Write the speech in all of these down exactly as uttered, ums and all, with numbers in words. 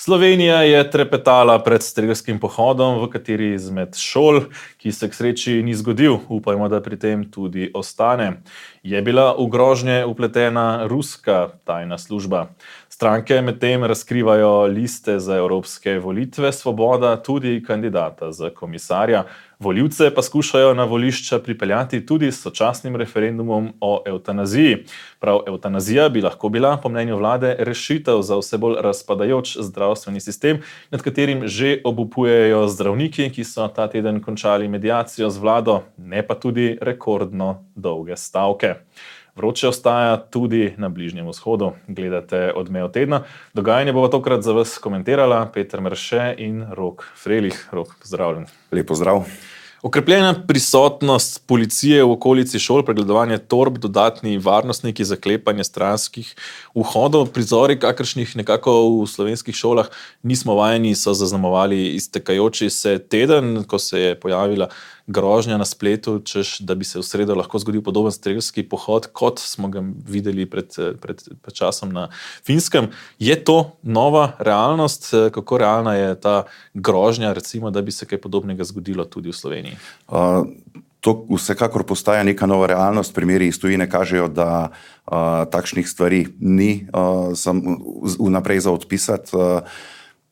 Slovenija je trepetala pred strelskim pohodom, v kateri izmed šol, ki se k sreči ni zgodil, upajmo, da pri tem tudi ostane. Je bila v grožnje vpletena ruska tajna služba. Stranke medtem razkrivajo liste za evropske volitve, Svoboda tudi kandidata za komisarja. Volivce pa skušajo na volišča pripeljati tudi s sočasnim referendumom o evtanaziji. Prav evtanazija bi lahko bila, po mnenju vlade, rešitev za vse bolj razpadajoč zdravstveni sistem, nad katerim že obupujejo zdravniki, ki so ta teden končali mediacijo z vlado, ne pa tudi rekordno dolge stavke. Vroče ostaja tudi na Bližnjem vzhodu. Gledate Odmev tedna. Dogajanje bova tokrat za vas komentirala Peter Merše in Rok Frelih. Rok, pozdravljen. Lep pozdrav. Okrepljena prisotnost policije v okolici šol, pregledovanje torb, dodatni varnostniki, zaklepanje stranskih vhodov, prizori, kakršnih nekako v slovenskih šolah nismo vajeni, so zaznamovali iztekajoči se teden, ko se je pojavila grožnja na spletu, češ, da bi se v sredo lahko zgodil podoben strelski pohod, kot smo ga videli pred, pred, pred časom na Finskem. Je to nova realnost? Kako realna je ta grožnja, recimo, da bi se kaj podobnega zgodilo tudi v Sloveniji? Uh, to vsekakor postaja neka nova realnost. Primeri iz tujine kažejo, da uh, takšnih stvari ni uh, sam, vnaprej za odpisati. Uh,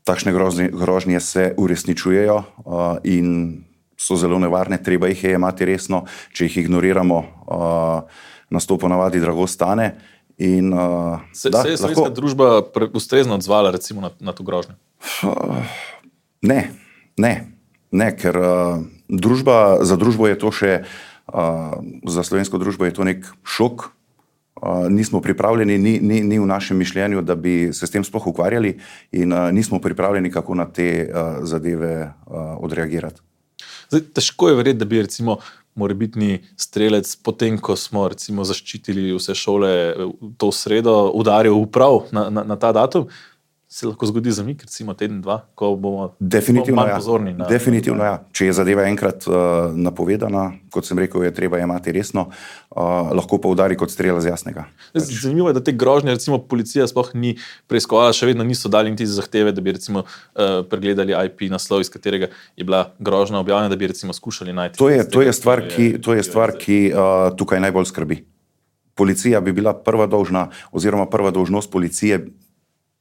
takšne grožnje, grožnje se uresničujejo uh, in so zelo nevarne, treba jih je imati resno. Če jih ignoriramo, uh, nas to ponavadi drago stane. In, uh, se, da, se je slovenska lahko... družba ustrezno odzvala recimo na, na to grožnjo? Uh, ne, ne, ne, ker uh, družba, za družbo je to še, uh, za slovensko družbo je to nek šok. Uh, nismo pripravljeni, ni, ni, ni v našem mišljenju, da bi se s tem sploh ukvarjali in uh, nismo pripravljeni, kako na te uh, zadeve uh, odreagirati. Zdaj, težko je verjeti, da bi recimo morebitni strelec, potem ko smo recimo zaščitili vse šole to sredo, udaril prav na, na, na ta datum, se lahko zgodi zamik, recimo teden, dva, ko bomo definitivno, manj ja. pozorni. Na, definitivno, ja. Če je zadeva enkrat uh, napovedana, kot sem rekel, je treba imati resno, uh, lahko pa udari kot strela z jasnega. Zanimivo je, da te grožnje, recimo policija sploh ni preiskovala, še vedno niso dali niti zahteve, da bi recimo uh, pregledali I P naslov, iz katerega je bila grožnja objavljena, da bi recimo skušali najti. To je, to je stvar, ki, to je stvar, ki uh, tukaj najbolj skrbi. Policija bi bila prva dolžna, oziroma prva dolžnost policije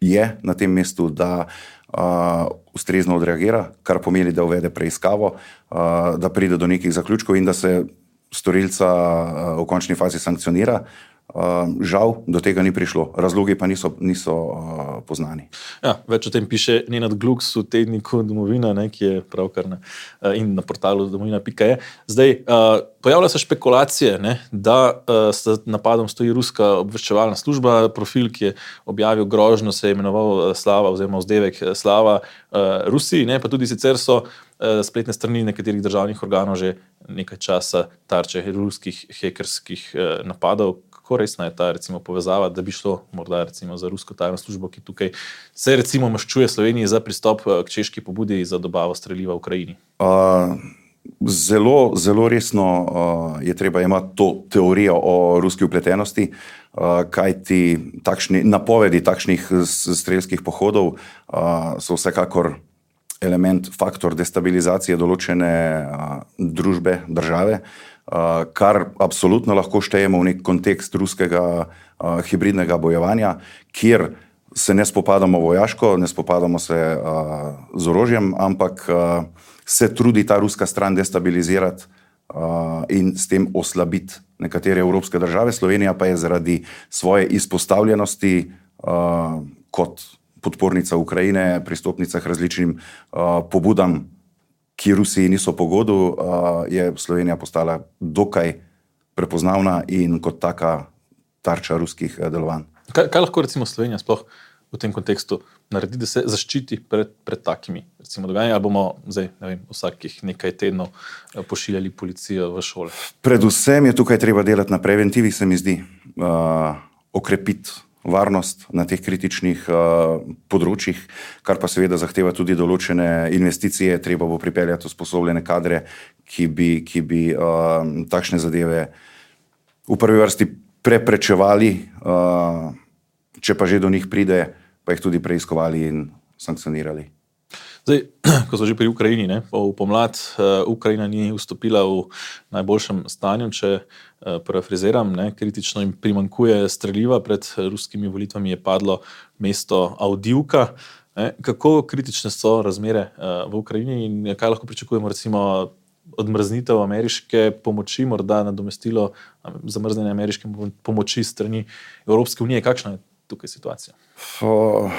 je na tem mestu, da uh, ustrezno odreagira, kar pomeni, da uvede preiskavo, uh, da pride do nekih zaključkov in da se storilca uh, v končni fazi sankcionira. Uh, žal, do tega ni prišlo. Razlogi pa niso, niso uh, poznani. Ja, več o tem piše Nenad Gluks v tedniku Domovina, ne, ki je pravkar na, uh, in na portalu domovina pika je. Zdaj, uh, pojavlja se špekulacije, ne, da uh, s napadom stoji ruska obveščevalna služba. Profil, ki je objavil grožnjo, se je imenoval Slava oziroma vzdevek Slava uh, Rusiji, ne, pa tudi sicer so uh, spletne strani nekaterih državnih organov že nekaj časa tarče ruskih hekerskih uh, napadov. Kako resna je ta recimo povezava, da bi šlo morda recimo za rusko tajno službo, ki tukaj se recimo maščuje Sloveniji za pristop k češki pobudi za dobavo streliva v Ukrajini? Uh, zelo, zelo resno uh, je treba imati to teorijo o ruski vpletenosti, uh, kajti takšni, napovedi takšnih strelskih pohodov uh, so vsekakor element, faktor destabilizacije določene uh, družbe, države, Uh, kar absolutno lahko štejemo v nek kontekst ruskega uh, hibridnega bojevanja, kjer se ne spopadamo vojaško, ne spopadamo se uh, z orožjem, ampak uh, se trudi ta ruska stran destabilizirati uh, in s tem oslabiti nekatere evropske države. Slovenija pa je zaradi svoje izpostavljenosti uh, kot podpornica Ukrajine, pristopnica k različnim uh, pobudam, ki Rusiji niso pogodu, uh, je Slovenija postala dokaj prepoznavna in kot taka tarča ruskih delovanj. Kaj, kaj lahko recimo Slovenija sploh v tem kontekstu naredi, da se zaščiti pred, pred takimi recimo dogajanji, ali bomo zdaj, ne vem, vsakih nekaj tednov pošiljali policijo v šole? Predvsem je tukaj treba delati na preventivi, se mi zdi, uh, okrepiti varnost na teh kritičnih uh, področjih, kar pa seveda zahteva tudi določene investicije. Treba bo pripeljati usposobljene kadre, ki bi, ki bi uh, takšne zadeve v prvi vrsti preprečevali, uh, če pa že do njih pride, pa jih tudi preiskovali in sankcionirali. Zdaj, ko smo že pri Ukrajini, ne, v pomlad uh, Ukrajina ni vstopila v najboljšem stanju, če uh, parafraziram, ne, kritično jim primanjkuje streljiva, pred ruskimi volitvami je padlo mesto Avdijivka. Ne, kako kritične so razmere uh, v Ukrajini in kaj lahko pričakujemo, recimo odmrznitev ameriške pomoči, morda nadomestilo zamrznjene ameriške pomoči strani Evropske unije? Kakšna je tukaj situacija? Uh...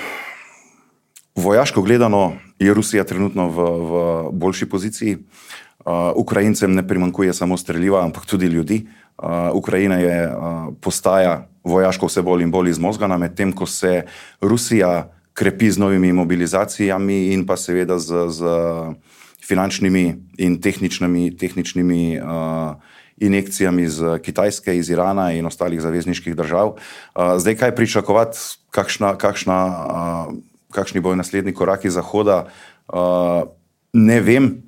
Vojaško gledano je Rusija trenutno v, v boljši poziciji. Uh, Ukrajincem ne primanjkuje samo streljiva, ampak tudi ljudi. Uh, Ukrajina je uh, postaja vojaško vse bolj in bolj izmozgana, medtem ko se Rusija krepi z novimi mobilizacijami in pa seveda z, z finančnimi in tehničnimi, tehničnimi uh, injekcijami z Kitajske, iz Irana in ostalih zavezniških držav. Uh, zdaj kaj pričakovati, kakšna, kakšna uh, kakšni bojo naslednji koraki Zahoda, uh, ne vem,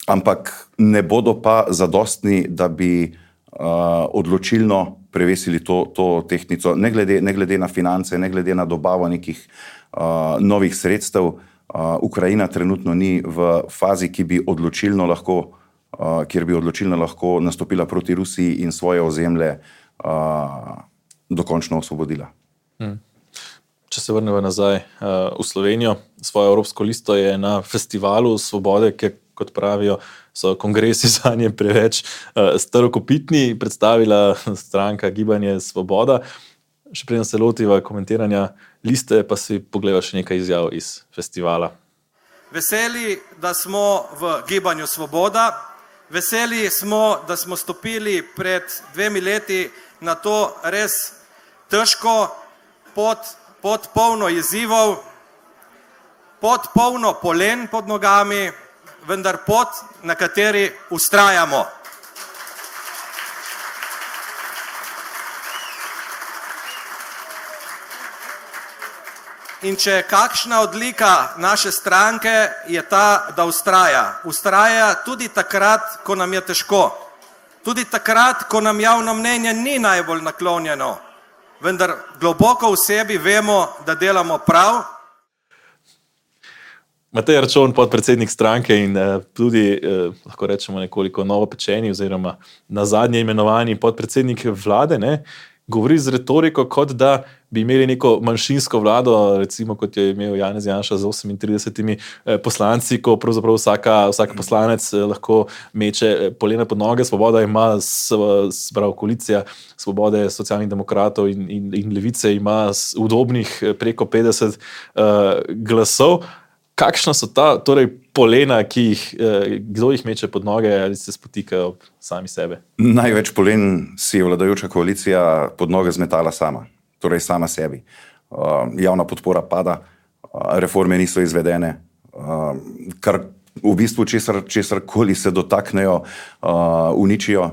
ampak ne bodo pa zadostni, da bi uh, odločilno prevesili to, to tehtnico, ne glede, ne glede na finance, ne glede na dobavo nekih uh, novih sredstev. Uh, Ukrajina trenutno ni v fazi, ki bi odločilno lahko, uh, kjer bi odločilno lahko nastopila proti Rusiji in svoje ozemlje uh, dokončno osvobodila. Hmm. Če se vrnemo nazaj uh, v Slovenijo, svojo evropsko listo je na festivalu Svobode, ki, kot pravijo, so kongresi zanje preveč uh, starokopitni, predstavila stranka Gibanje Svoboda. Še preden se lotiva komentiranja liste, pa si pogleda še nekaj izjav iz festivala. Veseli, da smo v Gibanju Svoboda, veseli smo, da smo stopili pred dvemi leti na to res težko pot, pod polno izzivov, pod polno polen pod nogami, vendar pot, na kateri vztrajamo. In če je kakšna odlika naše stranke, je ta, da vztraja. Vztraja tudi takrat, ko nam je težko. Tudi takrat, ko nam javno mnenje ni najbolj naklonjeno. Vendar globoko v sebi vemo, da delamo prav. Matej Arčon, podpredsednik stranke in eh, tudi, eh, lahko rečemo, nekoliko novopečeni oziroma nazadnje imenovani podpredsednik vlade, ne, govori z retoriko, kot da bi imeli neko manjšinsko vlado, recimo kot je imel Janez Janša z osemintridesetimi poslanci, ko pravzaprav vsaka, vsaka poslanec lahko meče polena pod noge. Svoboda ima, sprav koalicija Svobode, Socialnih demokratov in, in, in Levice ima udobnih preko petdeset uh, glasov. Kakšna so ta torej polena, ki jih, eh, kdo jih meče pod noge ali se spotikajo sami sebe? Največ polen si je vladajoča koalicija pod noge zmetala sama, torej sama sebi. Uh, javna podpora pada, uh, reforme niso izvedene, uh, kar v bistvu česar, česar koli se dotaknejo, uh, uničijo.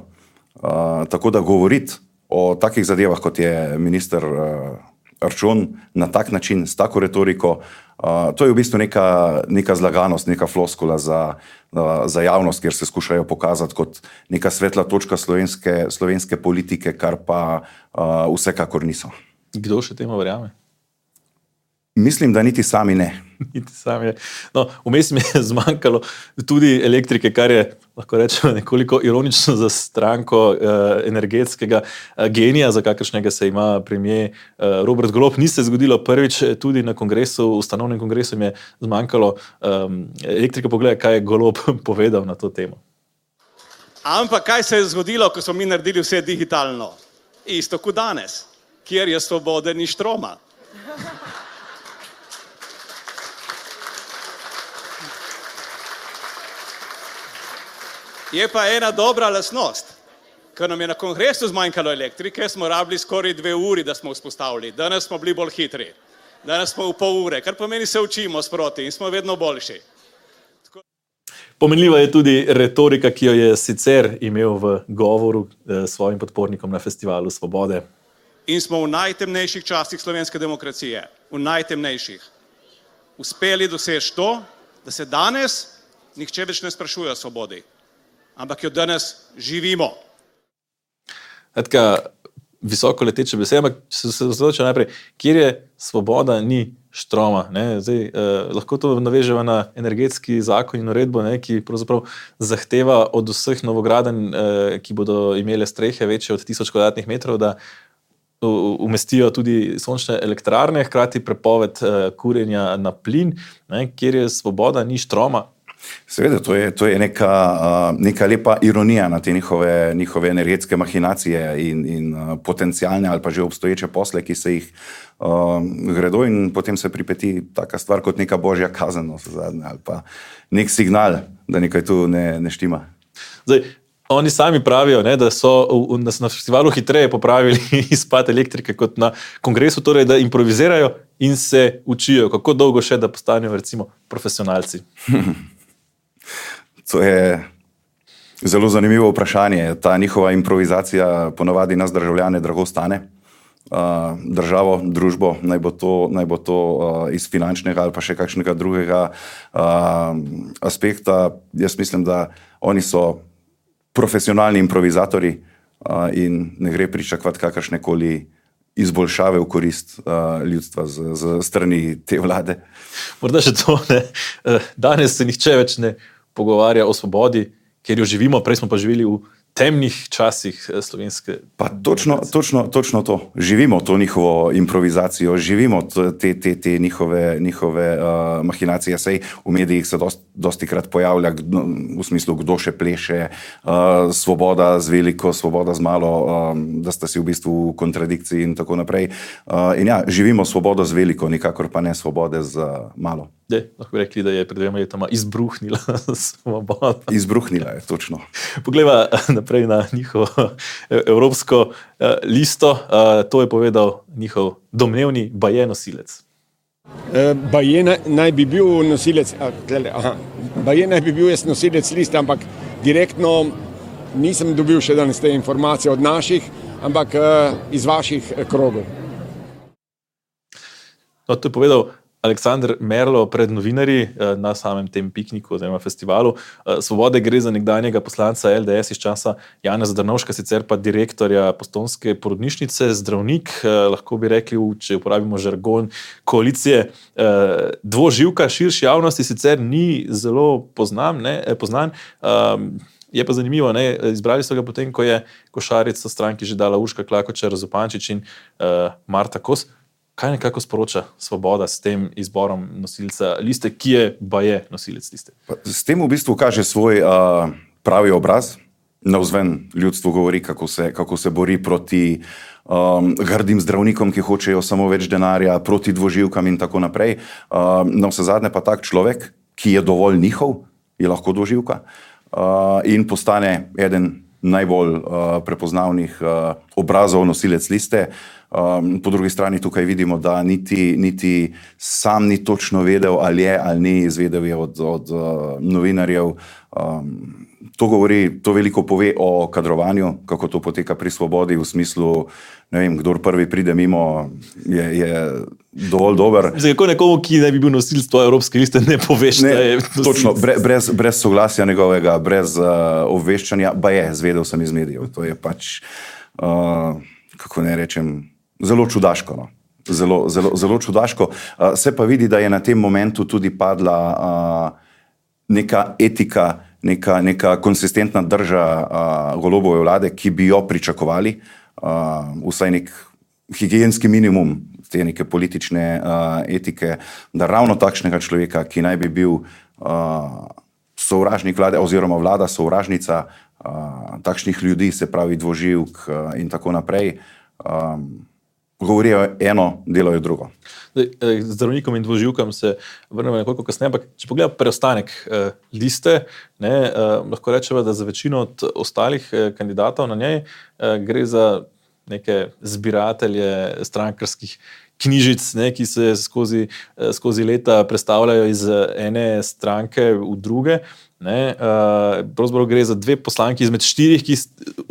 Uh, tako da govoriti o takih zadevah, kot je minister uh, Arčon, na tak način, s tako retoriko, Uh, to je v bistvu neka, neka zlaganost, neka floskula za, uh, za javnost, kjer se skušajo pokazati kot neka svetla točka slovenske, slovenske politike, kar pa uh, vsekakor niso. Kdo še temu verjame? Mislim, da niti sami ne. Niti sami je. No, vmes mi je zmanjkalo tudi elektrike, kar je, lahko rečemo, nekoliko ironično za stranko eh, energetskega eh, genija, za kakršnega se ima premier eh, Robert Golob. Ni se zgodilo prvič, tudi na kongresu, ustanovnem kongresu mi je zmanjkalo eh, elektrike. Pogleda, kaj je Golob povedal na to temo. Ampak kaj se je zgodilo, ko smo mi naredili vse digitalno? Isto kot danes, kjer je svobode ni štroma. Je pa ena dobra lastnost. Ker nam je na kongresu zmanjkalo elektrike, smo rabili skoraj dve uri, da smo vzpostavili. Danes smo bili bolj hitri. Danes smo v pol ure, kar pomeni se učimo sproti in smo vedno boljši. Tako... Pomenljiva je tudi retorika, ki jo je sicer imel v govoru eh, svojim podpornikom na festivalu Svobode. In smo v najtemnejših časih slovenske demokracije, v najtemnejših, uspeli doseči to, da se danes nihče več ne sprašuje o svobodi, ampak jo danes živimo. Etka, visoko leteče besede, ampak se osredotoča najprej, kjer je svoboda, ni štroma. Ne? Zdaj, eh, lahko to naveževa na energetski zakon in uredbo, ne? Ki pravzaprav zahteva od vseh novogradenj, eh, ki bodo imele strehe večje od tisoč kvadratnih metrov, da umestijo tudi sončne elektrarne, hkrati prepoved uh, kurjenja na plin, ne, kjer je svoboda, ni štroma. Seveda, to je, to je neka, uh, neka lepa ironija na te njihove, njihove energetske mahinacije in, in uh, potencijalne ali pa že obstoječe posle, ki se jih uh, gredo, in potem se pripeti taka stvar kot neka božja kazen, ali pa nek signal, da nekaj tu ne, ne štima. Zdaj, oni sami pravijo, ne, da so v, na, na festivalu hitreje popravili izpad elektrike kot na kongresu, torej da improvizirajo in se učijo. Kako dolgo še, da postanejo recimo profesionalci? To je zelo zanimivo vprašanje. Ta njihova improvizacija ponavadi nas državljane drago stane. Uh, državo, družbo, naj bo to, naj bo to uh, iz finančnega ali pa še kakšnega drugega uh, aspekta. Jaz mislim, da oni so profesionalni improvizatori uh, in ne gre pričakovati kakršne koli izboljšave v korist uh, ljudstva z, z strani te vlade. Morda še to, ne. Danes se nihče več ne pogovarja o svobodi, ker jo živimo, prej smo pa živeli v temnih časih slovenske. Pa točno, točno, točno to. Živimo to njihovo improvizacijo, živimo te, te, te njihove, njihove uh, mahinacije. Sej v medijih se dost, dosti krat pojavlja v smislu, kdo še pleše, uh, svoboda z veliko, svoboda z malo, um, da sta si v bistvu v kontradikciji in tako naprej. Uh, in ja, živimo svobodo z veliko, nikakor pa ne svobode z uh, malo. De, lahko bi rekli, da je pred dvema letoma izbruhnila svoboda. Izbruhnila je, točno. Poglejva naprej na njihovo evropsko listo. To je povedal njihov domnevni baje nosilec. Baje naj bi bil nosilec, aha, baje naj bi bil jaz nosilec liste, ampak direktno nisem dobil še danes te informacije od naših, ampak iz vaših krogov. No, to je povedal Aleksander Merlo pred novinarji na samem tem pikniku oziroma festivalu. Svobode gre za nekdanjega poslanca L D S iz časa Janeza Drnovška, sicer pa direktorja Postojnske porodnišnice, zdravnik, lahko bi rekli, če uporabimo žargon koalicije, dvoživka, širši javnosti sicer ni zelo poznan, ne, poznan. Je pa zanimivo, ne, izbrali so ga potem, ko je košarico stranki že dala Urška Klakočar Zupančič in Marta Kos. Kaj nekako sporoča Svoboda s tem izborom nosilca liste, ki je baje nosilec liste? S tem v bistvu kaže svoj uh, pravi obraz. Navzven ljudstvu govori, kako se, kako se bori proti um, grdim zdravnikom, ki hočejo samo več denarja, proti dvoživkam in tako naprej. Uh, na vse zadnje pa tak človek, ki je dovolj njihov, je lahko dvoživka uh, in postane eden najbolj uh, prepoznavnih uh, obrazov nosilec liste. Um, po drugi strani tukaj vidimo, da niti, niti sam ni točno vedel, ali je ali ni, izvedel je od, od uh, novinarjev. Um, to govori, to veliko pove o kadrovanju, kako to poteka pri Svobodi, v smislu, ne vem, kdor prvi pride mimo, je, je dovolj dober. Zdaj, kako nekomu, ki ne bi bil nosilc tvoje evropske liste, ne poveš, ne, da je nosilc? Točno, bre, brez, brez soglasja njegovega, brez uh, obveščanja, ba je, zvedel sem iz medijev. To je pač, uh, kako ne rečem, zelo čudaško. No. Zelo, zelo, zelo čudaško. Uh, se pa vidi, da je na tem momentu tudi padla uh, neka etika, neka, neka konsistentna drža uh, Golobove vlade, ki bi jo pričakovali, uh, vsaj nek higienski minimum te neke politične uh, etike, da ravno takšnega človeka, ki naj bi bil uh, sovražnik vlade oziroma vlada sovražnica uh, takšnih ljudi, se pravi dvoživk uh, in tako naprej, um, govorijo eno, delajo drugo. Zdaj, zdravnikom in dvoživkam se vrnemo nekoliko kasneje, ampak če pogledamo preostanek eh, liste, ne, eh, lahko rečemo, da za večino od ostalih eh, kandidatov na njej eh, gre za neke zbiratelje strankarskih knjižic, ne, ki se skozi, eh, skozi leta prestavljajo iz ene stranke v druge. Ne, uh, pravzaprav gre za dve poslanki izmed štirih, ki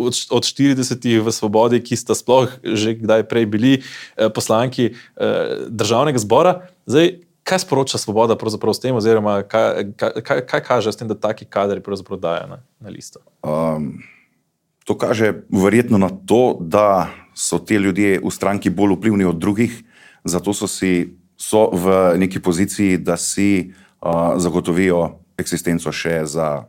od, od štiridesetih v Svobodi, ki sta sploh že kdaj prej bili uh, poslanki uh, državnega zbora. Zdaj, kaj sporoča Svoboda pravzaprav s tem, oziroma kaj, kaj, kaj kaže s tem, da taki kadri pravzaprav dajo na, na listo? Um, to kaže verjetno na to, da so te ljudje v stranki bolj vplivni od drugih, zato so, si, so v neki poziciji, da si uh, zagotovijo eksistenco še za,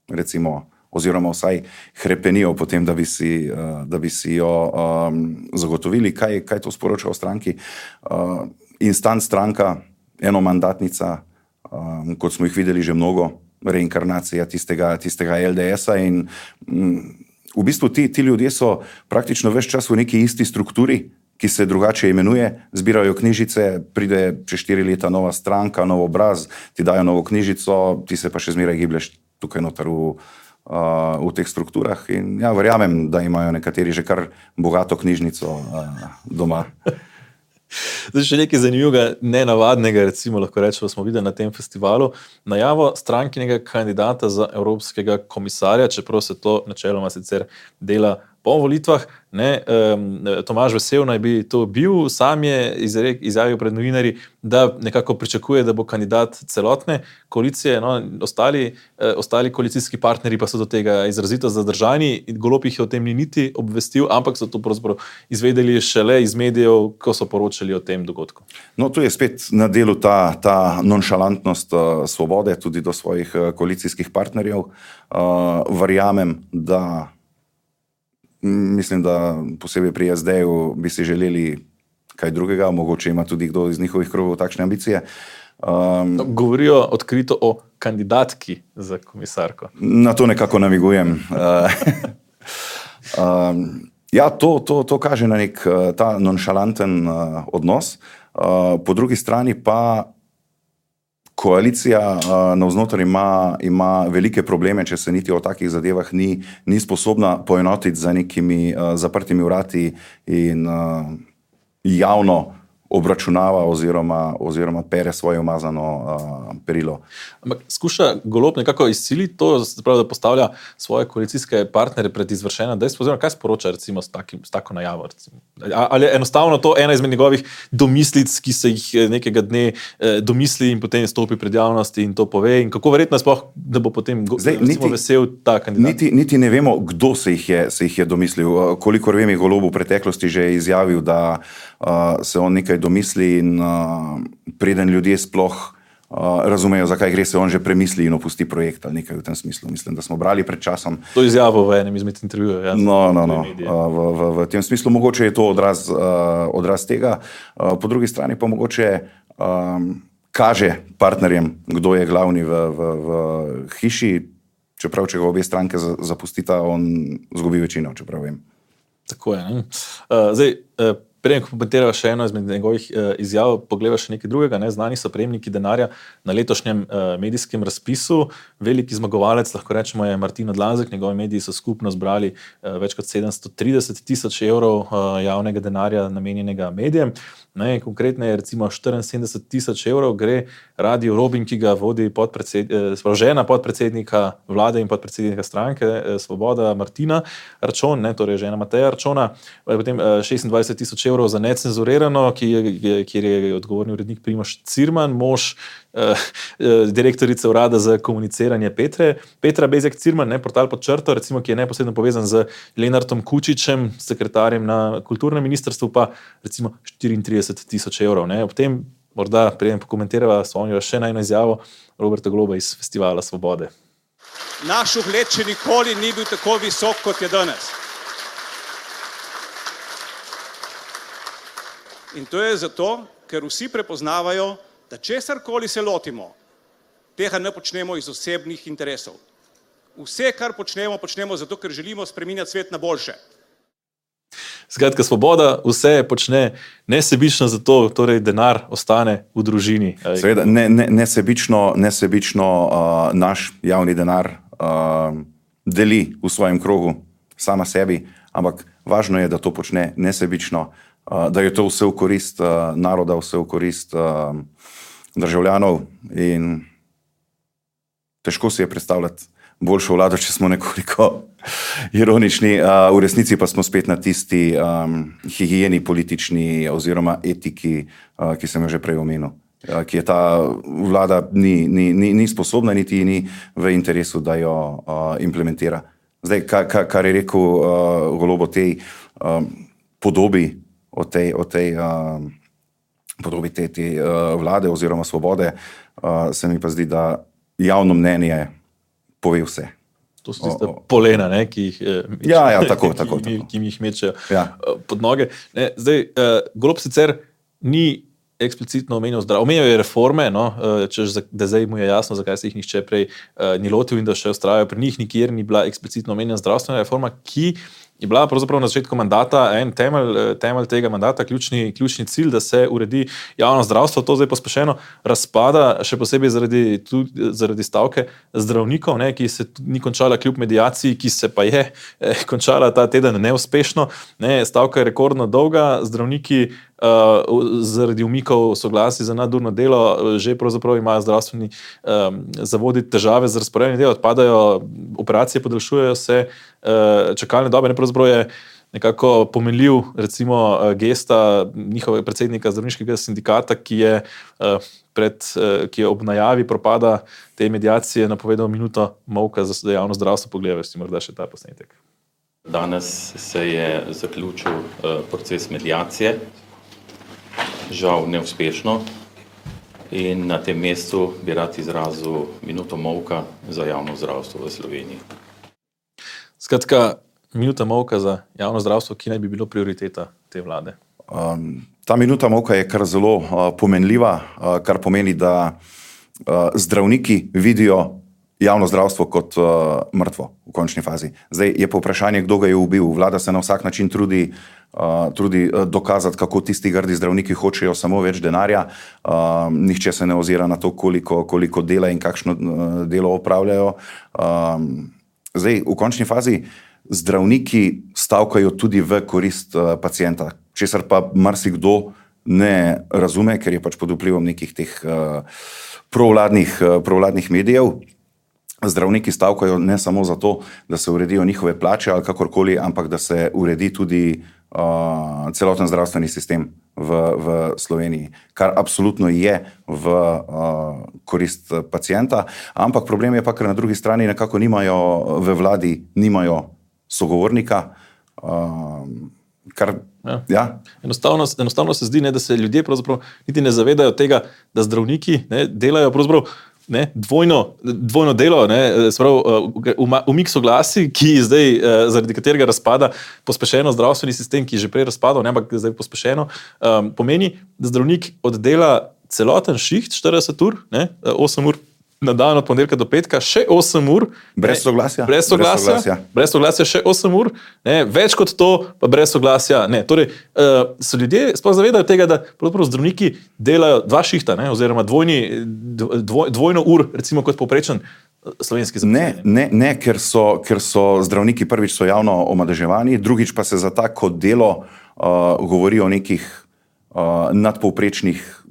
recimo, oziroma vsaj hrepenijo potem, da bi si, uh, da bi si jo um, zagotovili. Kaj, kaj to sporoča o stranki? Uh, instant stranka, enomandatnica, um, kot smo jih videli že mnogo, reinkarnacija tistega, tistega L D S-a in um, v bistvu ti, ti ljudje so praktično ves čas v neki isti strukturi, ki se drugače imenuje, zbirajo knjižice, pride čez štiri leta nova stranka, nov obraz, ti dajo novo knjižico, ti se pa še zmeraj giblješ tukaj noter v, uh, v teh strukturah in ja, verjamem, da imajo nekateri že kar bogato knjižnico uh, doma. Zdaj še nekaj zanimivega, nenavadnega, recimo lahko rečemo, smo videli na tem festivalu, najavo strankinega kandidata za evropskega komisarja, čeprav se to načeloma sicer dela po volitvah. Ne, um, Tomaž Vesel naj bi to bil, sam je izrek, izjavil pred novinarji, da nekako pričakuje, da bo kandidat celotne koalicije, no, ostali, eh, ostali koalicijski partnerji pa so do tega izrazito zadržani, Golob jih o tem ni niti obvestil, ampak so to pravzaprav izvedeli šele iz medijev, ko so poročali o tem dogodku. No, tu je spet na delu ta, ta nonšalantnost uh, Svobode tudi do svojih uh, koalicijskih partnerjev. Uh, verjamem, da mislim, da posebej pri S D-ju bi si želeli kaj drugega, mogoče ima tudi kdo iz njihovih krogov takšne ambicije. Um, Govorijo odkrito o kandidatki za komisarko. Na to nekako namigujem. um, ja, to, to, to kaže na nek ta nonšalanten uh, odnos. Uh, po drugi strani pa koalicija uh, navznoter ima, ima velike probleme, če se niti o takih zadevah ni, ni sposobna poenotiti za nekimi uh, zaprtimi vrati in uh, javno obračunava oziroma, oziroma pere svoje umazano uh, perilo. Ampak skuša Golob nekako izsiliti to, da postavlja svoje koalicijske partnere pred izvršena dejstva, oziroma kaj sporoča recimo s, takim, s tako najavo? Recimo? Ali je enostavno to ena izmed njegovih domislic, ki se jih nekega dne eh, domisli in potem stopi pred javnosti in to pove? In kako verjetno je sploh, da bo potem Zdaj, recimo, niti, vesel ta kandidat? Niti, niti ne vemo, kdo se jih je, se jih je domislil. Kolikor vem, je Golob v preteklosti že izjavil, da uh, se on nekaj domisli in uh, preden ljudje sploh uh, razumejo, zakaj gre, se on že premisli in opusti projekt ali nekaj v tem smislu. Mislim, da smo brali pred časom. To izjavo v enem izmed intervjujev. Ja, no, no, no. Uh, v, v, v tem smislu mogoče je to odraz, uh, odraz tega. Uh, po drugi strani pa mogoče um, kaže partnerjem, kdo je glavni v, v, v hiši, čeprav če ga obe stranke zapustita, on zgubi večino, čeprav vem. Tako je. Ne? Uh, zdaj, uh, Preden, ko komentirava še eno izmed njegovih uh, izjav, pogleda še nekaj drugega. Ne? Znani so prejemniki denarja na letošnjem uh, medijskem razpisu. Veliki zmagovalec, lahko rečemo, je Martin Odlazek. Njegovi mediji so skupno zbrali uh, več kot sedemsto trideset tisoč evrov uh, javnega denarja namenjenega medijem. Ne, konkretno je recimo štiriinsedemdeset tisoč evrov gre Radio Robin, ki ga vodi podpredsed, eh, žena podpredsednika vlade in podpredsednika stranke eh, Svoboda Martina Arčon, ne, torej žena Mateja Arčona, potem eh, šestindvajset tisoč evrov za necenzurirano, ki je, kjer je odgovorni urednik Primož Cirman, mož eh, eh, direktorice urada za komuniciranje Petre, Petra Bezjak Cirman, ne, portal Pod črto, recimo, ki je neposredno povezan z Lenartom Kučičem, sekretarjem na kulturnem ministrstvu, pa recimo štiriintrideset tisoč evrov. Ne. Ob tem, morda preden pokomentirava, spomnila še na eno izjavo Roberta Goloba iz Festivala Svobode. Naš ugled še nikoli ni bil tako visok, kot je danes. In to je zato, ker vsi prepoznavajo, da česarkoli se lotimo, tega ne počnemo iz osebnih interesov. Vse, kar počnemo, počnemo zato, ker želimo spreminjati svet na boljše. Skratka, Svoboda vse počne nesebično, zato torej denar ostane v družini. Seveda, ne, ne, nesebično, nesebično uh, naš javni denar uh, deli v svojem krogu sama sebi, ampak važno je, da to počne nesebično, uh, da je to vse v korist uh, naroda, vse v korist uh, državljanov in težko si je predstavljati boljšo vlado, če smo nekoliko ironični. V resnici pa smo spet na tisti um, higijeni politični oziroma etiki, uh, ki sem jo že prej omenil, uh, ki je ta vlada ni, ni, ni, ni sposobna, niti ni v interesu, da jo uh, implementira. Zdaj, ka, ka, kar je rekel uh, Golob o tej, um, podobi, o tej, o tej uh, podobi te, te uh, vlade oziroma svobode, uh, se mi pa zdi, da javno mnenje pove vse. To so tiste polena, ne, ki jih mečejo, ja, ja, tako, tako, ki, tako. ki jih mečejo ja. pod noge. Ne, zdaj, uh, Golob sicer ni eksplicitno omenil zdravstvo. Omenil je reforme, no, češ, da zdaj mu je jasno, zakaj se jih nihče prej uh, ni lotil in da še ustrajajo pri njih, nikjer ni bila eksplicitno omenjena zdravstvena reforma, ki je bila pravzaprav na začetku mandata en temelj, temelj tega mandata, ključni, ključni cilj, da se uredi javno zdravstvo. To zdaj pospešeno razpada, še posebej zaradi, tudi, zaradi stavke zdravnikov, ne, ki se ni končala kljub mediaciji, ki se pa je eh, končala ta teden neuspešno. Ne, stavka je rekordno dolga, zdravniki Uh, zaradi umikov soglasij za nadurno delo že pravzaprav imajo zdravstveni um, zavodi težave z razporejanjem dela, odpadajo operacije, podaljšujejo se uh, čakalne dobe. Ne, pravzaprav je nekako pomenljiv recimo gesta njihovega predsednika zdravniškega sindikata, ki je, uh, pred, uh, ki je ob najavi propada te mediacije napovedal minuto molka za javno zdravstvo. Pogledaj si morda še ta posnetek. Danes se je zaključil uh, proces mediacije. Žal neuspešno, in na tem mestu bi rad izrazil minuto molka za javno zdravstvo v Sloveniji. Skratka, minuta molka za javno zdravstvo, ki naj bi bilo prioriteta te vlade. Um, ta minuta molka je kar zelo uh, pomenljiva, uh, kar pomeni, da uh, zdravniki vidijo javno zdravstvo kot uh, mrtvo v končni fazi. Zdaj je pa vprašanje, kdo ga je ubil. Vlada se na vsak način trudi, uh, trudi uh, dokazati, kako tisti grdi zdravniki hočejo samo več denarja. Uh, nihče se ne ozira na to, koliko, koliko dela in kakšno uh, delo opravljajo. Um, zdaj, v končni fazi zdravniki stavkajo tudi v korist uh, pacienta, česar pa marsikdo ne razume, ker je pač pod vplivom nekih teh uh, provladnih, uh, provladnih medijev. Zdravniki stavkajo ne samo zato, da se uredijo njihove plače ali kakorkoli, ampak da se uredi tudi uh, celoten zdravstveni sistem v, v Sloveniji, kar absolutno je v uh, korist pacienta. Ampak problem je pa, ker na drugi strani nekako nimajo v vladi, nimajo sogovornika, uh, kar Ja. Ja. Enostavno, enostavno se zdi, ne, da se ljudje pravzaprav niti ne zavedajo tega, da zdravniki ne, delajo pravzaprav Ne, dvojno, dvojno delo, ne, sprav, uh, umik soglasij, ki zdaj, uh, zaradi katerega razpada pospešeno zdravstveni sistem, ki je že prej razpadal, ne, ampak zdaj pospešeno, um, pomeni, da zdravnik oddela celoten šiht, štirideset ur, ne, osem ur na dan od ponedeljka do petka, še osem ur. Brez soglasja. Brez soglasja, brez soglasja, brez soglasja še osem ur, ne, več kot to, pa brez soglasja. Ne. Torej, uh, se ljudje sploh zavedajo tega, da zdravniki delajo dva šihta, ne, oziroma dvojni, dvoj, dvojno ur, recimo kot povprečen slovenski zaposleni. Ne, ne, ne ker, so, ker so zdravniki prvič so javno omadeževani, drugič pa se za tako delo uh, govori o nekih uh, nadpovprečnih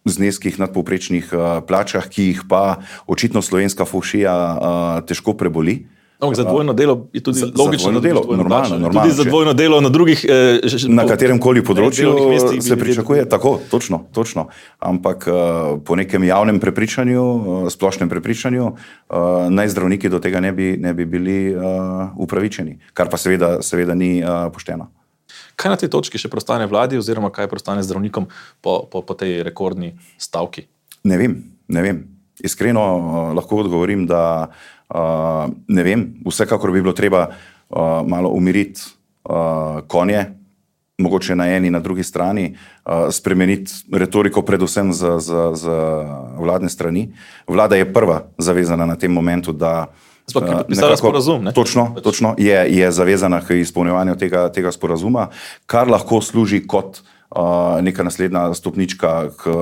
zneskih, nadpovprečnih uh, plačah, ki jih pa očitno slovenska fušija uh, težko preboli. No, za dvojno delo je tudi za, logično, za delo, dvojno normalno, plača, normalno, tudi za dvojno delo na drugih eh, na katerem koli področju mestih, se pričakuje tako, točno, točno. Ampak uh, po nekem javnem prepričanju, uh, splošnem prepričanju, uh, naj zdravniki do tega ne bi, ne bi bili uh, upravičeni, kar pa seveda, seveda ni uh, pošteno. Kaj na tej točki še prostane vladi oziroma kaj prostane zdravnikom po, po, po tej rekordni stavki? Ne vem, ne vem. Iskreno uh, lahko odgovorim, da uh, ne vem, vsekakor bi bilo treba uh, malo umiriti uh, konje, mogoče na eni, na drugi strani, uh, spremeniti retoriko predvsem za, za, za vladne strani. Vlada je prva zavezana na tem momentu, da Uh, nekako, sporazum, ne? Točno, točno je, je zavezana k izpolnjevanju tega, tega sporazuma, kar lahko služi kot uh, neka naslednja stopnička k,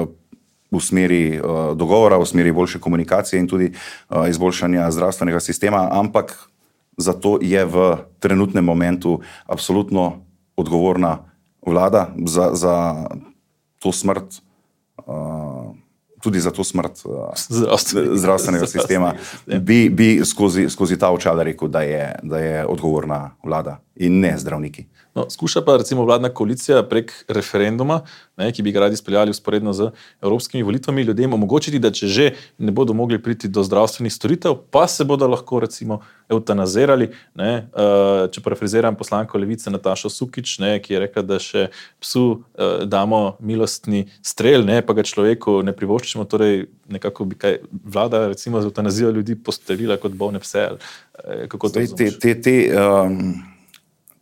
v smeri uh, dogovora, v smeri boljše komunikacije in tudi uh, izboljšanja zdravstvenega sistema, ampak zato je v trenutnem momentu absolutno odgovorna vlada za, za to smrt. Uh, tudi za to smrt uh, zdravstvenega sistema, bi, bi skozi, skozi ta očala rekel, da je, da je odgovorna vlada in ne zdravniki. No, skuša pa recimo vladna koalicija prek referenduma ne, ki bi ga radi izpeljali usporedno z evropskimi volitvami, ljudem omogočiti, da če že ne bodo mogli priti do zdravstvenih storitev, pa se bodo lahko recimo eutanazirali. Ne, če parafraziram poslanko Levice Natašo Sukič, ne, ki je rekla, da še psu damo milostni strel, ne, pa ga človeku ne privoščimo, torej nekako bi kaj vlada recimo z eutanazijo ljudi postavila kot bolne pse. Kako to te, te, te, um,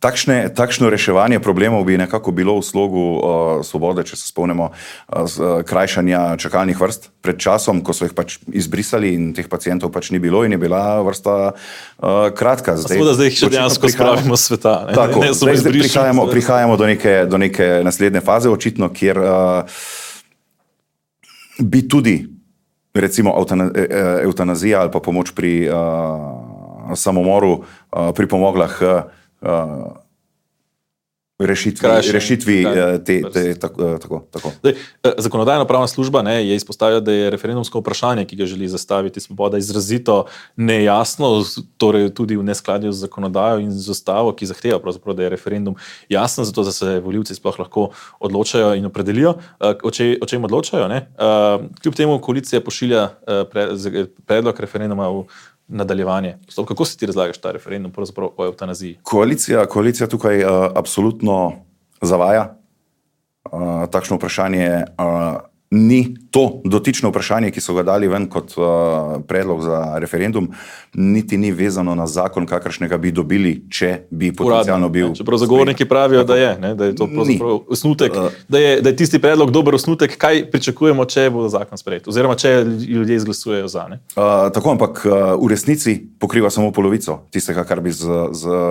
takšne, takšno reševanje problemov bi nekako bilo v slogu uh, Svobode, če se spomnimo uh, z, krajšanja čakalnih vrst pred časom, ko so jih pač izbrisali in teh pacientov pač ni bilo in je bila vrsta uh, kratka. Zdaj, Seveda zdaj jih še dejansko spravimo z sveta. Ne? Tako, ne, zdaj, zdaj prihajamo, prihajamo do, neke, do neke naslednje faze, očitno, kjer uh, bi tudi recimo eutanazija ali pa pomoč pri uh, samomoru uh, pripomogla k uh, rešitvi, Krajše, rešitvi te, te, tako. tako. Zdaj, Zakonodajno-pravna služba ne, je izpostavila, da je referendumsko vprašanje, ki ga želi zastaviti Svoboda, izrazito nejasno, torej tudi v neskladju z zakonodajo in z ustavo, ki zahteva pravzaprav, da je referendum jasen, zato da se volivci sploh lahko odločajo in opredelijo, o, če, o čem odločajo. Ne. Kljub temu koalicija pošilja predlog referenduma v nadaljevanje. Kako si ti razlagaš ta referendum pravzaprav o eutanaziji? Koalicija, koalicija tukaj uh, absolutno zavaja. Uh, takšno vprašanje uh, ni to dotično vprašanje, ki so ga dali ven kot uh, predlog za referendum, niti ni vezano na zakon, kakršnega bi dobili, če bi potencialno bil. Čeprav zagovorniki pravijo, da je, ne, da je to pravzaprav osnutek, da je, da je tisti predlog dober osnutek, kaj pričakujemo, če bo zakon sprejet, oziroma če ljudje izglasujejo za. Ne? Uh, tako, ampak uh, v resnici pokriva samo polovico tistega, kar bi z, z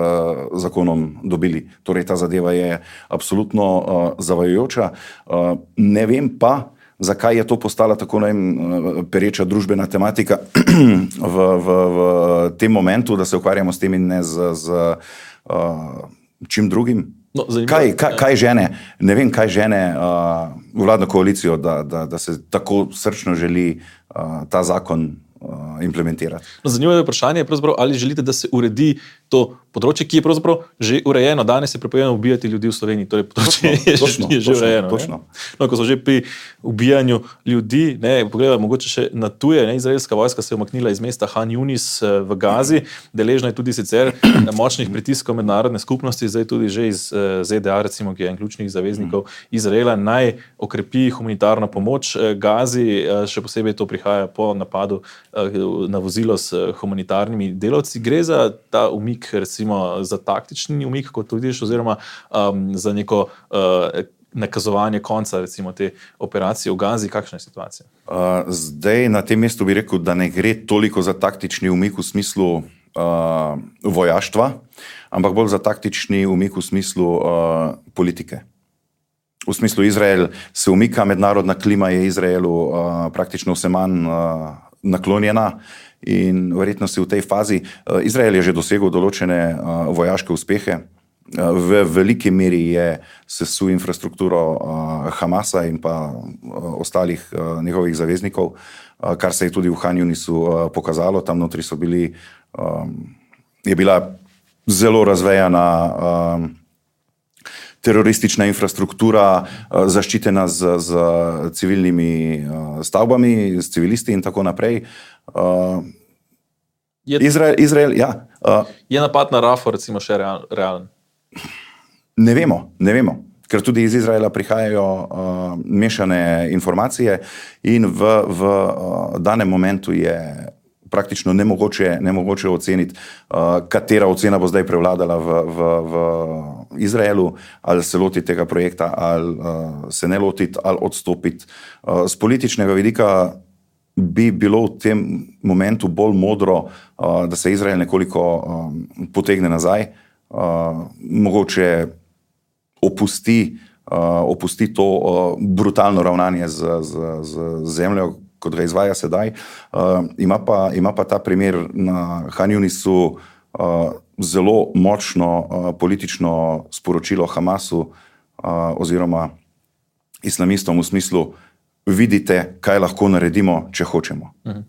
zakonom dobili. Torej, ta zadeva je absolutno uh, zavajajoča. Uh, ne vem pa, zakaj je to postala tako vem, pereča družbena tematika v, v, v tem momentu, da se ukvarjamo s tem in ne z, z uh, čim drugim. No, kaj, kaj, kaj žene, ne vem, kaj žene uh, vladno koalicijo, da, da, da se tako srčno želi uh, ta zakon uh, implementirati. No, zanimivo je vprašanje, ali želite, da se uredi to področje, ki je pravzaprav že urejeno. Danes je prepovedano ubijati ljudi v Sloveniji, torej področje je, točno, je že točno, urejeno. Točno. No, ko so že pri ubijanju ljudi, ne, pogledaj, mogoče še na tuje, ne, izraelska vojska se je umaknila iz mesta Han Yunis v Gazi, deležna je tudi sicer močnih pritiskov mednarodne skupnosti, zdaj tudi že iz Z D A, recimo, ki je en ključnih zaveznikov Izraela, naj okrepi humanitarno pomoč Gazi, še posebej to prihaja po napadu na vozilo s humanitarnimi delavci. Gre za ta umik, recimo za taktični umik, kot to vidiš, oziroma um, za neko uh, nakazovanje konca recimo te operacije v Gazi. Kakšna je situacija? Uh, zdaj na tem mestu bi rekel, da ne gre toliko za taktični umik v smislu uh, vojaštva, ampak bolj za taktični umik v smislu uh, politike. V smislu Izrael se umika, mednarodna klima je Izraelu uh, praktično vse manj uh, naklonjena. In verjetno si v tej fazi, Izrael je že dosegel določene uh, vojaške uspehe, uh, v veliki meri je sesul infrastrukturo uh, Hamasa in pa uh, ostalih uh, njegovih zaveznikov, uh, kar se je tudi v Han Yunisu uh, pokazalo. Tam notri so bili, um, je bila zelo razvejana um, teroristična infrastruktura, uh, zaščitena z, z civilnimi uh, stavbami, s civilisti in tako naprej. Uh, je, Izrael, Izrael, ja. Uh, je napad na Rafo recimo še real, realen? Ne vemo, ne vemo, ker tudi iz Izraela prihajajo uh, mešane informacije in v, v uh, danem momentu je praktično nemogoče, nemogoče oceniti, uh, katera ocena bo zdaj prevladala v, v, v Izraelu, ali se loti tega projekta, ali uh, se ne lotiti, ali odstopiti. Uh, z političnega vidika bi bilo v tem momentu bolj modro, uh, da se Izrael nekoliko um, potegne nazaj, uh, mogoče opusti, uh, opusti to uh, brutalno ravnanje z, z, z zemljo, kot ga izvaja sedaj. Uh, ima, pa, ima pa ta primer na Han Yunisu uh, zelo močno uh, politično sporočilo Hamasu uh, oziroma islamistom v smislu, vidite, kaj lahko naredimo, če hočemo. Uh-huh.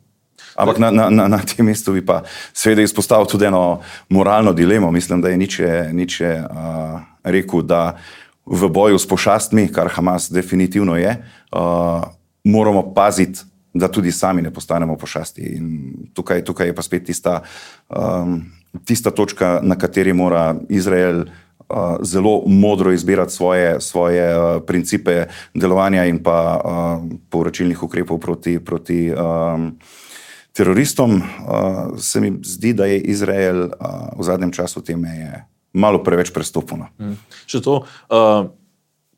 Ampak na, na, na, na tem mestu bi pa seveda izpostavil tudi eno moralno dilemo. Mislim, da je Nietzsche, Nietzsche uh, rekel, da v boju s pošastmi, kar Hamas definitivno je, uh, moramo paziti, da tudi sami ne postanemo pošasti. In tukaj, tukaj je pa spet tista, um, tista točka, na kateri mora Izrael uh, zelo modro izbirati svoje, svoje uh, principe delovanja in pa uh, povračilnih ukrepov proti, proti um, teroristom. Uh, se mi zdi, da je Izrael uh, v zadnjem času te meje malo preveč prestopil. Hmm. Še to, uh,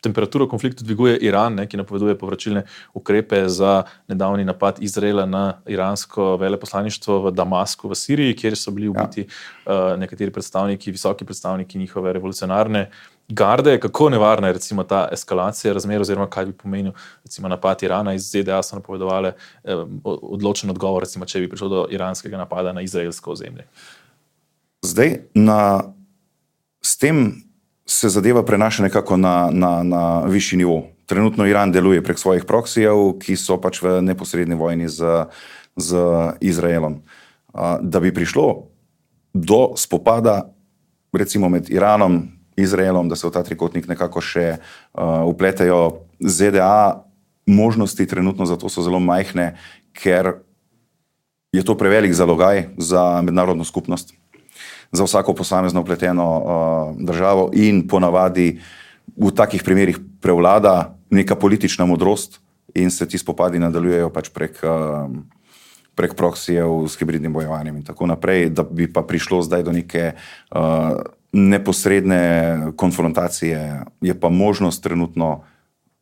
temperaturo konfliktu dviguje Iran, ne, ki napoveduje povračilne ukrepe za nedavni napad Izraela na iransko veleposlaništvo v Damasku v Siriji, kjer so bili ubiti ja. uh, nekateri predstavniki, visoki predstavniki njihove revolucionarne garde. Kako nevarna je recimo ta eskalacija razmer, oziroma kaj bi pomenil recimo napad Irana? Iz Z D A so napovedovali eh, odločen odgovor, recimo, če bi prišlo do iranskega napada na izraelsko ozemlje. Zdaj, na, s tem se zadeva prenaša nekako na, na, na višji nivo. Trenutno Iran deluje prek svojih proksijev, ki so pač v neposredni vojni z, z Izraelom. Da bi prišlo do spopada recimo med Iranom, Izraelom, da se v ta trikotnik nekako še uh, upletejo Z D A, možnosti trenutno za to so zelo majhne, ker je to prevelik zalogaj za mednarodno skupnost, za vsako posamezno upleteno uh, državo in ponavadi v takih primerih prevlada neka politična modrost in se ti spopadi nadaljujejo pač prek, uh, prek proksijev s hibridnim bojovanjem in tako naprej, da bi pa prišlo zdaj do neke uh, neposredne konfrontacije, je pa možnost trenutno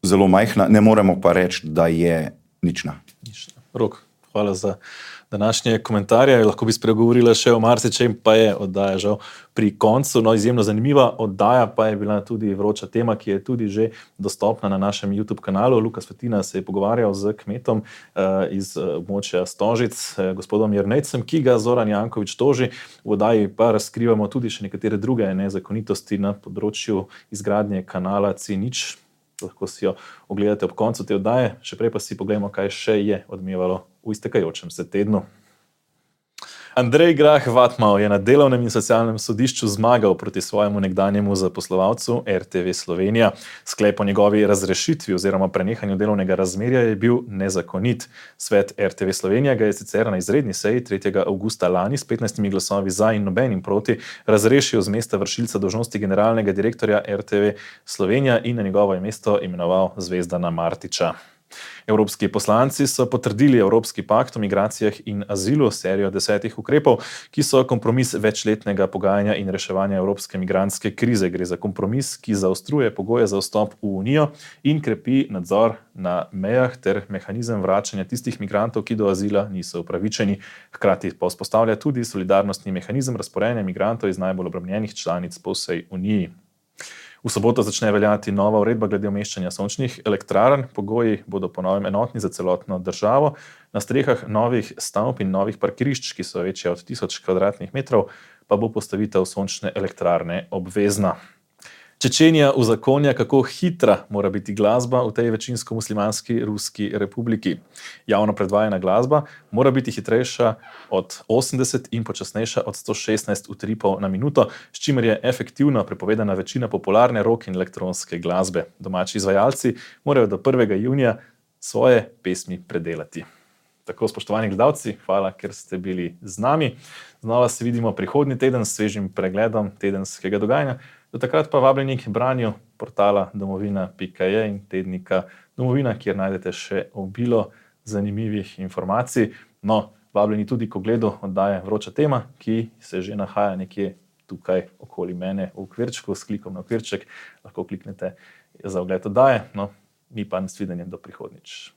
zelo majhna, ne moremo pa reči, da je nična. Nična. Rok, hvala za današnje komentarje. Lahko bi spregovorila še o marsičem, pa je oddaja žal pri koncu. No, izjemno zanimiva oddaja pa je bila tudi vroča tema, ki je tudi že dostopna na našem YouTube kanalu. Luka Svetina se je pogovarjal z kmetom uh, iz območja Stožic, uh, gospodom Jernejcem, ki ga Zoran Janković toži. V oddaji pa razkrivamo tudi še nekatere druge nezakonitosti na področju izgradnje kanala C nič. Lahko si jo ogledate ob koncu te oddaje. Še prej pa si pogledamo, kaj še je odmevalo v iztekajočem se tednu. Andrej Grah Whatmough je na delovnem in socialnem sodišču zmagal proti svojemu nekdanjemu zaposlovalcu R T V Slovenija. Sklep o njegovi razrešitvi oziroma prenehanju delovnega razmerja je bil nezakonit. Svet R T V Slovenija ga je sicer na izredni seji tretjega avgusta lani s petnajstimi glasovi za in nobenim proti razrešil z mesta vršilca dolžnosti generalnega direktorja R T V Slovenija in na njegovo mesto imenoval Zvezdana Martiča. Evropski poslanci so potrdili Evropski pakt o migracijah in azilu, serijo desetih ukrepov, ki so kompromis večletnega pogajanja in reševanja evropske migrantske krize. Gre za kompromis, ki zaostruje pogoje za vstop v Unijo in krepi nadzor na mejah ter mehanizem vračanja tistih migrantov, ki do azila niso upravičeni. Hkrati pa vzpostavlja tudi solidarnostni mehanizem razporejanja migrantov iz najbolj obremenjenih članic po vsej Uniji. V soboto začne veljati nova uredba glede umeščanja sončnih elektrarn. Pogoji bodo po novem enotni za celotno državo. Na strehah novih stavb in novih parkirišč, ki so večje od tisoč kvadratnih metrov, pa bo postavitev sončne elektrarne obvezna. Čečenija uzakonja, kako hitra mora biti glasba v tej večinsko muslimanski Ruski republiki. Javno predvajana glasba mora biti hitrejša od osemdeset in počasnejša od sto šestnajst utripov na minuto, s čimer je efektivno prepovedana večina popularne rock in elektronske glasbe. Domači izvajalci morajo do prvega junija svoje pesmi predelati. Tako, spoštovani gledalci, hvala, ker ste bili z nami. Znova se vidimo prihodnji teden s svežim pregledom tedenskega dogajanja. Do takrat pa vabljeni k branju portala domovina pika je in tednika Domovina, kjer najdete še obilo zanimivih informacij. No, vabljeni tudi k ogledu oddaje Vroča tema, ki se že nahaja nekje tukaj okoli mene v okvirčku, s klikom na okvirček. Lahko kliknete za ogled oddaje. No, mi pa nasvidenje do prihodnjič.